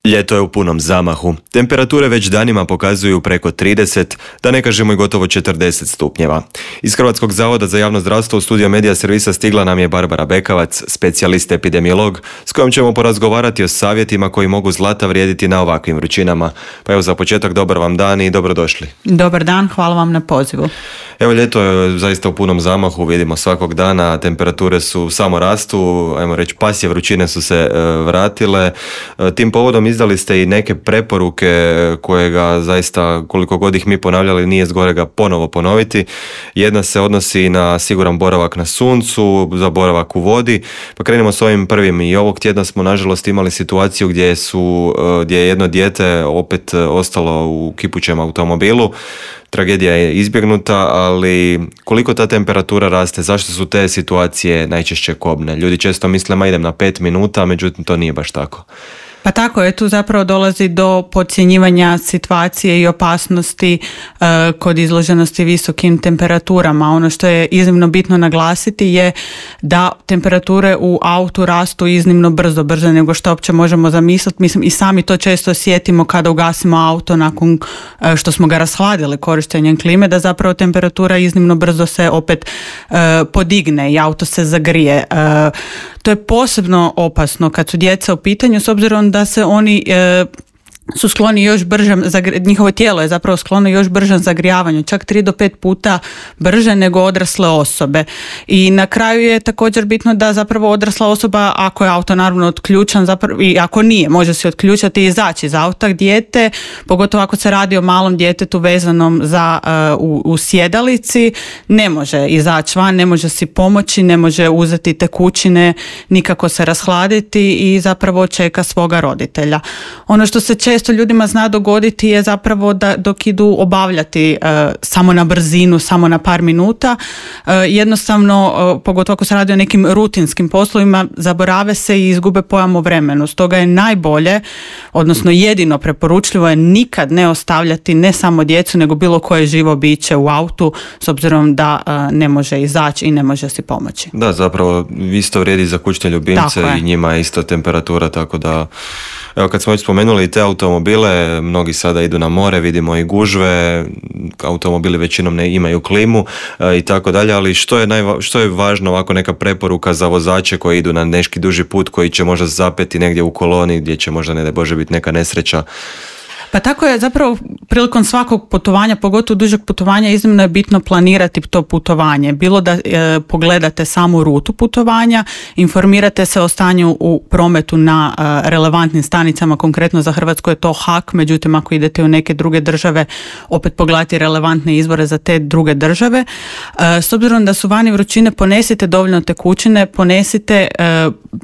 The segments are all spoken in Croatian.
Ljeto je u punom zamahu. Temperature već danima pokazuju preko 30, da ne kažemo i gotovo 40 stupnjeva. Iz Hrvatskog zavoda za javno zdravstvo u studio Medija servisa stigla nam je Barbara Bekavac, specijalist epidemiolog, s kojom ćemo porazgovarati o savjetima koji mogu zlata vrijediti na ovakvim vrućinama. Pa evo za početak dobar vam dan i dobrodošli. Dobar dan, hvala vam na pozivu. Evo ljeto je zaista u punom zamahu, vidimo svakog dana, temperature su samo rastu, ajmo reći pasje vrućine su se vratile. Tim povodom izdali ste i neke preporuke koje ga zaista, koliko god ih mi ponavljali, nije zgorega ponovo ponoviti. Jedna se odnosi na siguran boravak na suncu, za boravak u vodi. Pa krenemo s ovim prvim. I ovog tjedna smo nažalost imali situaciju gdje je jedno dijete opet ostalo u kipućem automobilu. Tragedija je izbjegnuta, ali koliko ta temperatura raste, zašto su te situacije najčešće kobne? Ljudi često misle, ma idem na 5 minuta, međutim to nije baš tako. Pa tako je, tu zapravo dolazi do podcjenjivanja situacije i opasnosti kod izloženosti visokim temperaturama. Ono što je iznimno bitno naglasiti je da temperature u autu rastu iznimno brže nego što uopće možemo zamisliti. Mislim, i sami to često osjetimo kada ugasimo auto nakon što smo ga rashladili korištenjem klime, da zapravo temperatura iznimno brzo se opet podigne i auto se zagrije. To je posebno opasno kad su djeca u pitanju, s obzirom da se oni su skloni još bržem, njihovo tijelo je zapravo sklono još bržem zagrijavanju, čak 3 do 5 puta brže nego odrasle osobe. I na kraju je također bitno da zapravo odrasla osoba, ako je auto naravno otključan, zapravo, i ako nije, može se otključati i izaći iz auta. Dijete, pogotovo ako se radi o malom djetetu vezanom za u sjedalici, ne može izaći van, ne može si pomoći, ne može uzeti tekućine, nikako se rashladiti i zapravo čeka svoga roditelja. Ono što se često ljudima zna dogoditi je zapravo da dok idu obavljati samo na brzinu, samo na par minuta, jednostavno, pogotovo ako se radi o nekim rutinskim poslovima, zaborave se i izgube pojam o vremenu. Stoga je najbolje, odnosno jedino preporučljivo je nikad ne ostavljati ne samo djecu, nego bilo koje živo biće u autu, s obzirom da ne može izaći i ne može si pomoći. Da, zapravo isto vrijedi za kućne ljubimce i njima je isto temperatura, tako da evo kad smo već spomenuli te automobile, mnogi sada idu na more, vidimo i gužve, automobili većinom ne imaju klimu i tako dalje, ali što je važno ovako neka preporuka za vozače koji idu na neki duži put, koji će možda zapeti negdje u koloni gdje će možda ne daj Bože biti neka nesreća? Pa tako je zapravo prilikom svakog putovanja, pogotovo dužeg putovanja, iznimno je bitno planirati to putovanje. Bilo da pogledate samu rutu putovanja, informirate se o stanju u prometu na relevantnim stanicama, konkretno za Hrvatsku je to HAK, međutim ako idete u neke druge države, opet pogledati relevantne izvore za te druge države. S obzirom da su vani vrućine, ponesite dovoljno tekućine, ponesite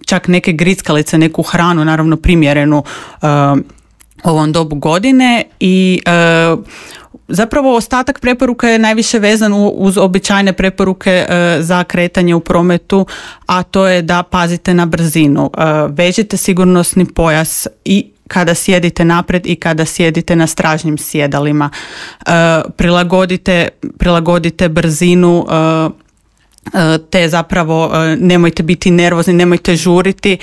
čak neke grickalice, neku hranu, naravno primjerenu ovom dobu godine i zapravo ostatak preporuka je najviše vezan uz običajne preporuke za kretanje u prometu, a to je da pazite na brzinu. Vežite sigurnosni pojas i kada sjedite naprijed i kada sjedite na stražnjim sjedalima. Prilagodite brzinu, te zapravo nemojte biti nervozni, nemojte žuriti,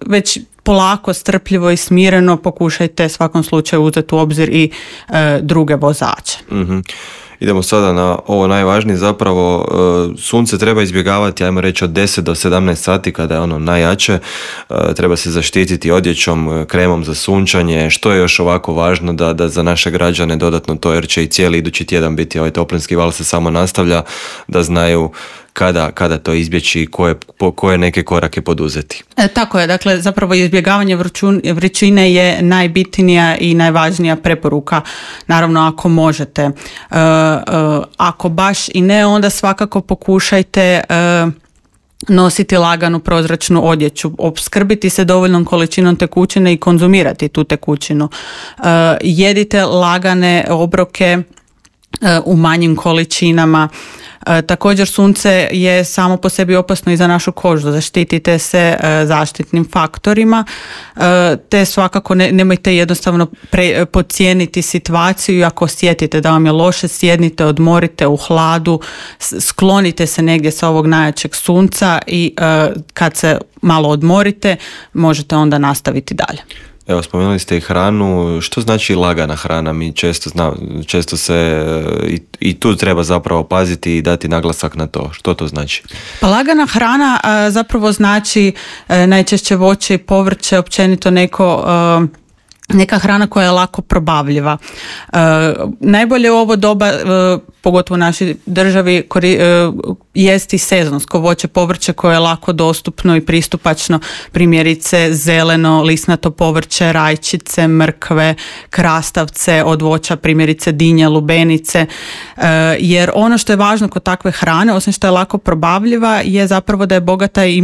već polako, strpljivo i smireno pokušajte svakom slučaju uzeti u obzir i druge vozače. Mm-hmm. Idemo sada na ovo najvažnije, zapravo sunce treba izbjegavati, ajmo reći od 10 do 17 sati kada je ono najjače, treba se zaštititi odjećom, kremom za sunčanje. Što je još ovako važno da za naše građane dodatno to, jer će i cijeli idući tjedan biti ovaj toplinski val se samo nastavlja, da znaju kada to izbjeći i koje neke korake poduzeti. Tako je, dakle zapravo izbjegavanje vrućine je najbitnija i najvažnija preporuka, naravno ako možete. Ako baš i ne, onda svakako pokušajte nositi laganu prozračnu odjeću, opskrbiti se dovoljnom količinom tekućine i konzumirati tu tekućinu. Jedite lagane obroke u manjim količinama. Također sunce je samo po sebi opasno i za našu kožu, zaštitite se zaštitnim faktorima, te svakako nemojte jednostavno podcijeniti situaciju i ako osjetite da vam je loše, sjednite, odmorite u hladu, sklonite se negdje sa ovog najjačeg sunca i kad se malo odmorite možete onda nastaviti dalje. Evo, spomenuli ste i hranu. Što znači lagana hrana? Mi često se i tu treba zapravo paziti i dati naglasak na to. Što to znači? Pa lagana hrana zapravo znači najčešće voće i povrće, općenito neka hrana koja je lako probavljiva. Najbolje u ovo doba, pogotovo u našoj državi, jesti sezonsko voće, povrće koje je lako dostupno i pristupačno, primjerice zeleno, lisnato povrće, rajčice, mrkve, krastavce, od voća primjerice dinje, lubenice, jer ono što je važno kod takve hrane, osim što je lako probavljiva, je zapravo da je bogata i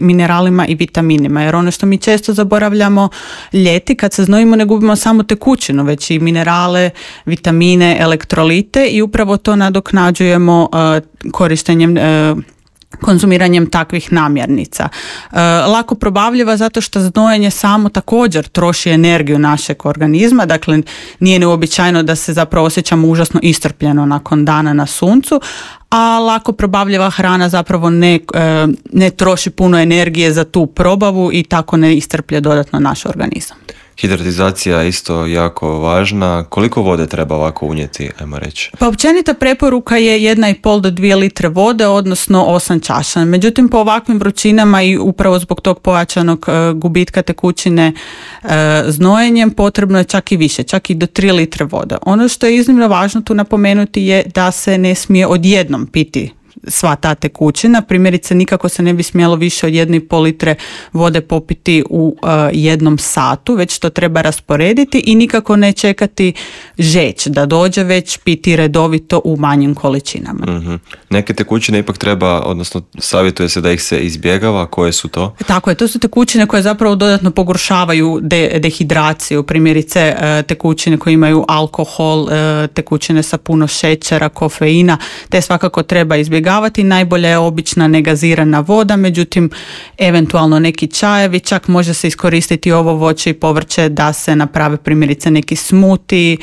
mineralima i vitaminima, jer ono što mi često zaboravljamo ljeti, kad se znojimo ne gubimo samo tekućinu, već i minerale, vitamine, elektrolite i upravo to nadoknađujemo korištenjem konzumiranjem takvih namirnica. Lako probavljiva zato što znojenje samo također troši energiju našeg organizma, dakle nije neuobičajeno da se zapravo osjećamo užasno iscrpljeno nakon dana na suncu, a lako probavljiva hrana zapravo ne troši puno energije za tu probavu i tako ne iscrplje dodatno naš organizam. Hidratizacija je isto jako važna. Koliko vode treba ovako unijeti, ajmo reći? Pa općenita preporuka je 1,5 do 2 litre vode, odnosno 8 čaša. Međutim, po ovakvim vrućinama i upravo zbog tog pojačanog gubitka tekućine znojenjem potrebno je čak i više, čak i do 3 litre vode. Ono što je iznimno važno tu napomenuti je da se ne smije odjednom piti sva ta tekućina. Primjerice, nikako se ne bi smjelo više od 1,5 litre vode popiti u jednom satu, već to treba rasporediti i nikako ne čekati žeć da dođe, već piti redovito u manjim količinama. Mm-hmm. Neke tekućine ipak treba, odnosno savjetuje se da ih se izbjegava. Koje su to? Tako je, to su tekućine koje zapravo dodatno pogoršavaju dehidraciju. Primjerice, tekućine koje imaju alkohol, tekućine sa puno šećera, kofeina, te svakako treba izbjegavati. Najbolja je obična negazirana voda, međutim eventualno neki čajevi, čak može se iskoristiti ovo voće i povrće da se naprave primjerice neki smuti,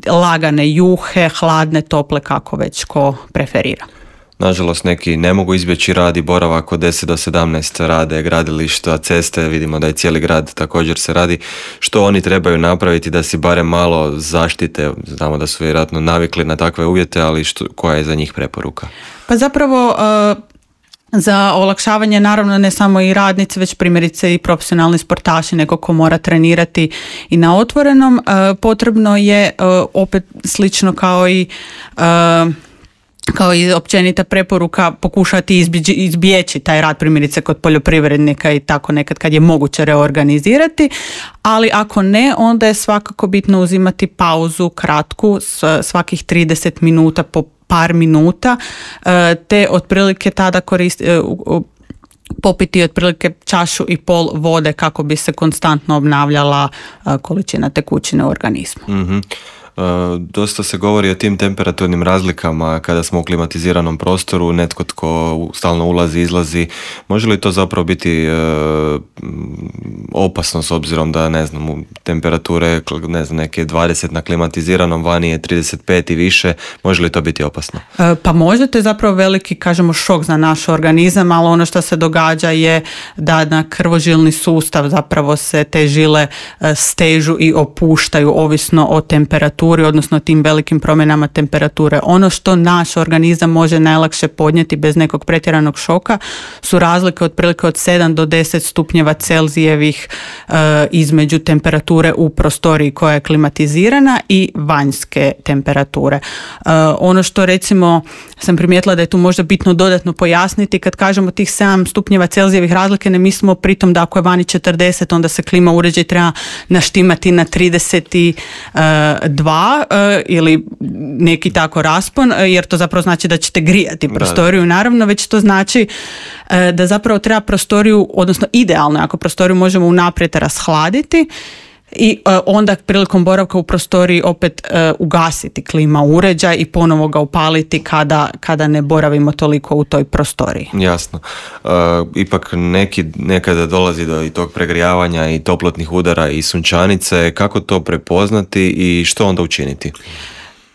lagane juhe, hladne, tople, kako već ko preferira. Nažalost, neki ne mogu izbjeći rad i boravak od 10 do 17 rade gradilišta, ceste, vidimo da je cijeli grad također se radi. Što oni trebaju napraviti da si barem malo zaštite? Znamo da su vjerojatno navikli na takve uvjete, ali koja je za njih preporuka? Pa zapravo za olakšavanje naravno ne samo i radnici, već primjerice i profesionalni sportaši, neko ko mora trenirati i na otvorenom, potrebno je opet slično kao i općenita preporuka pokušati izbjeći taj rad primjerice kod poljoprivrednika i tako nekad kad je moguće reorganizirati, ali ako ne, onda je svakako bitno uzimati pauzu kratku, svakih 30 minuta po par minuta, te otprilike tada popiti otprilike 1,5 čašu vode kako bi se konstantno obnavljala količina tekućine u organizmu. Mm-hmm. Dosta se govori o tim temperaturnim razlikama kada smo u klimatiziranom prostoru, netko tko stalno ulazi, izlazi. Može li to zapravo biti opasno s obzirom da, ne znam, temperature, ne znam, neke 20 na klimatiziranom, vani je 35 i više, može li to biti opasno? Pa može, to je zapravo veliki, kažemo, šok za naš organizam, ali ono što se događa je da na krvožilni sustav zapravo se te žile stežu i opuštaju ovisno o temperaturi, odnosno tim velikim promjenama temperature. Ono što naš organizam može najlakše podnijeti bez nekog pretjeranog šoka su razlike otprilike od 7 do 10 stupnjeva Celzijevih između temperature u prostoriji koja je klimatizirana i vanjske temperature. Ono što recimo sam primijetila da je tu možda bitno dodatno pojasniti, kad kažemo tih 7 stupnjeva Celzijevih razlike, ne mislimo pritom da ako je vani 40, onda se klima uređaj treba naštimati na 32 ili neki tako raspon, jer to zapravo znači da ćete grijati prostoriju, naravno, već to znači da zapravo treba prostoriju, odnosno idealno, ako prostoriju možemo unaprijed rashladiti, I onda prilikom boravka u prostoriji opet ugasiti klima uređaj i ponovo ga upaliti kada ne boravimo toliko u toj prostoriji. Jasno. Ipak nekada dolazi do i tog pregrijavanja i toplotnih udara i sunčanice. Kako to prepoznati i što onda učiniti?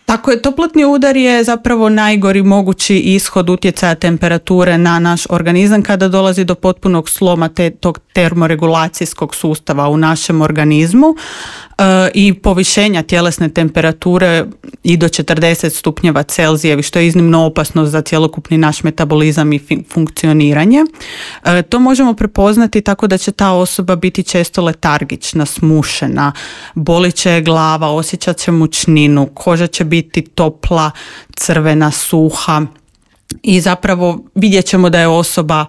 Tako je, toplotni udar je zapravo najgori mogući ishod utjecaja temperature na naš organizam kada dolazi do potpunog sloma tog termoregulacijskog sustava u našem organizmu i povišenja tjelesne temperature i do 40 stupnjeva Celzijevi, što je iznimno opasno za cjelokupni naš metabolizam i funkcioniranje. To možemo prepoznati tako da će ta osoba biti često letargična, smušena, bolit će glava, osjećat će mučninu, koža će biti topla, crvena, suha i zapravo vidjet ćemo da je osoba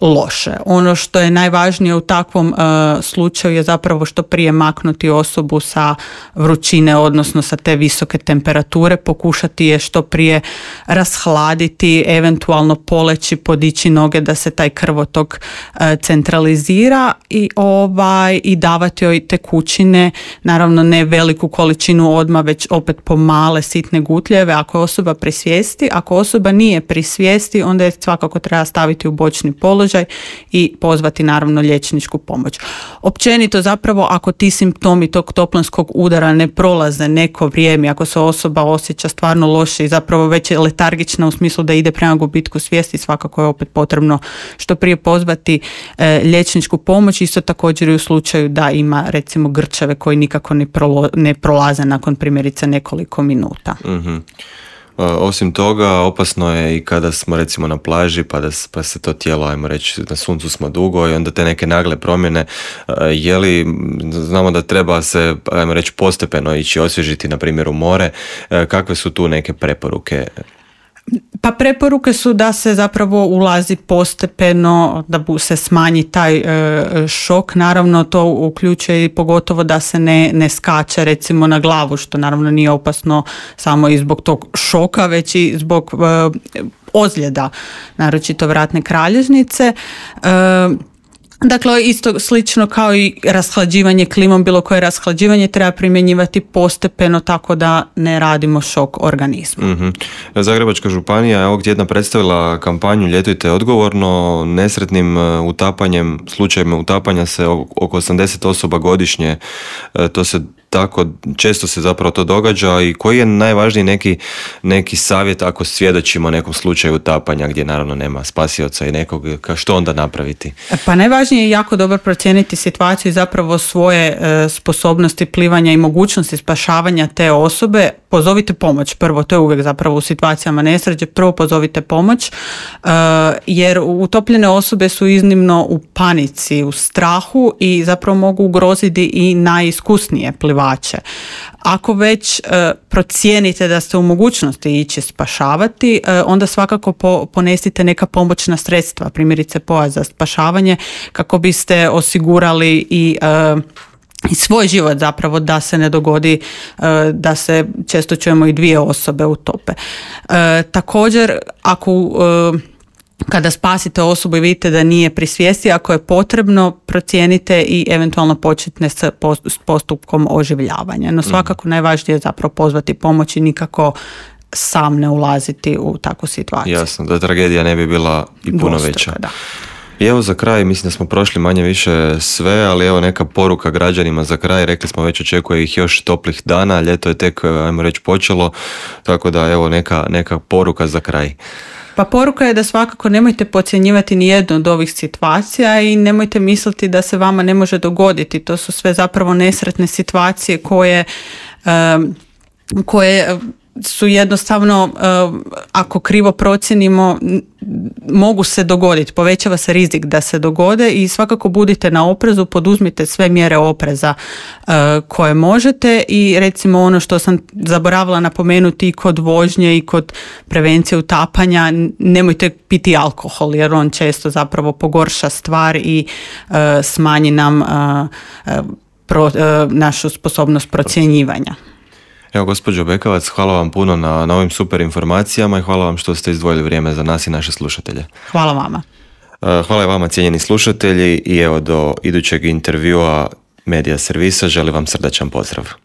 loše. Ono što je najvažnije u takvom slučaju je zapravo što prije maknuti osobu sa vrućine, odnosno sa te visoke temperature, pokušati je što prije rashladiti, eventualno poleći, podići noge da se taj krvotok centralizira i davati joj tekućine, naravno ne veliku količinu odmah, već opet po male sitne gutljeve. Ako je osoba pri svijesti, ako osoba nije pri svijesti, onda je svakako treba staviti u bočni položaj i pozvati naravno liječničku pomoć. Općenito zapravo ako ti simptomi tog toplinskog udara ne prolaze neko vrijeme, ako se osoba osjeća stvarno loše i zapravo već je letargična u smislu da ide prema gubitku svijesti, svakako je opet potrebno što prije pozvati liječničku pomoć, isto također i u slučaju da ima recimo grčeve koji nikako ne prolaze nakon primjerice nekoliko minuta. Mm-hmm. Osim toga, opasno je i kada smo recimo na plaži pa se to tijelo, ajmo reći, na suncu smo dugo i onda te neke nagle promjene, znamo da treba se, ajmo reći, postepeno ići osvježiti, na primjer u more, kakve su tu neke preporuke? Pa preporuke su da se zapravo ulazi postepeno, da se smanji taj šok. Naravno to uključuje i pogotovo da se ne skače recimo na glavu, što naravno nije opasno samo i zbog tog šoka, već i zbog ozljeda, naročito vratne kralježnice. Dakle, isto slično kao i rashlađivanje klimom, bilo koje rashlađivanje treba primjenjivati postepeno tako da ne radimo šok organizmu. Mm-hmm. Zagrebačka županija je ovog tjedna predstavila kampanju Ljetujte odgovorno. Nesretnim utapanjem, slučajevima utapanja se oko 80 osoba godišnje, to se tako često se zapravo to događa. I koji je najvažniji neki savjet ako svjedočimo nekom slučaju utapanja gdje naravno nema spasioca i nekog, što onda napraviti? Pa najvažnije je jako dobro procijeniti situaciju i zapravo svoje sposobnosti plivanja i mogućnosti spašavanja te osobe. Pozovite pomoć prvo, to je uvijek zapravo u situacijama nesreće, prvo pozovite pomoć jer utopljene osobe su iznimno u panici, u strahu i zapravo mogu ugroziti i najiskusnije plivače. Ako već procijenite da ste u mogućnosti ići spašavati, onda svakako ponesite neka pomoćna sredstva, primjerice pojas za spašavanje, kako biste osigurali i svoj život zapravo, da se ne dogodi da se, često čujemo, i dvije osobe utope. Također, kada spasite osobu i vidite da nije pri svijesti, ako je potrebno, procijenite i eventualno počnite s postupkom oživljavanja. No svakako najvažnije je zapravo pozvati pomoć i nikako sam ne ulaziti u takvu situaciju. Jasno, da tragedija ne bi bila i puno veća. Da. I evo za kraj, mislim da smo prošli manje više sve, ali evo neka poruka građanima za kraj. Rekli smo već, očekuje ih još toplih dana, ljeto je tek, ajmo reći, počelo, tako da evo neka poruka za kraj. Pa poruka je da svakako nemojte podcjenjivati ni jednu od ovih situacija i nemojte misliti da se vama ne može dogoditi. To su sve zapravo nesretne situacije koje su jednostavno, ako krivo procijenimo, mogu se dogoditi, povećava se rizik da se dogode i svakako budite na oprezu, poduzmite sve mjere opreza koje možete i recimo ono što sam zaboravila napomenuti i kod vožnje i kod prevencije utapanja, nemojte piti alkohol jer on često zapravo pogorša stvar i smanji nam našu sposobnost procjenjivanja. Evo, gospođo Bekavac, hvala vam puno na ovim super informacijama i hvala vam što ste izdvojili vrijeme za nas i naše slušatelje. Hvala vama. Hvala i vama, cijenjeni slušatelji, i evo do idućeg intervjua Medija servisa želi vam srdačan pozdrav.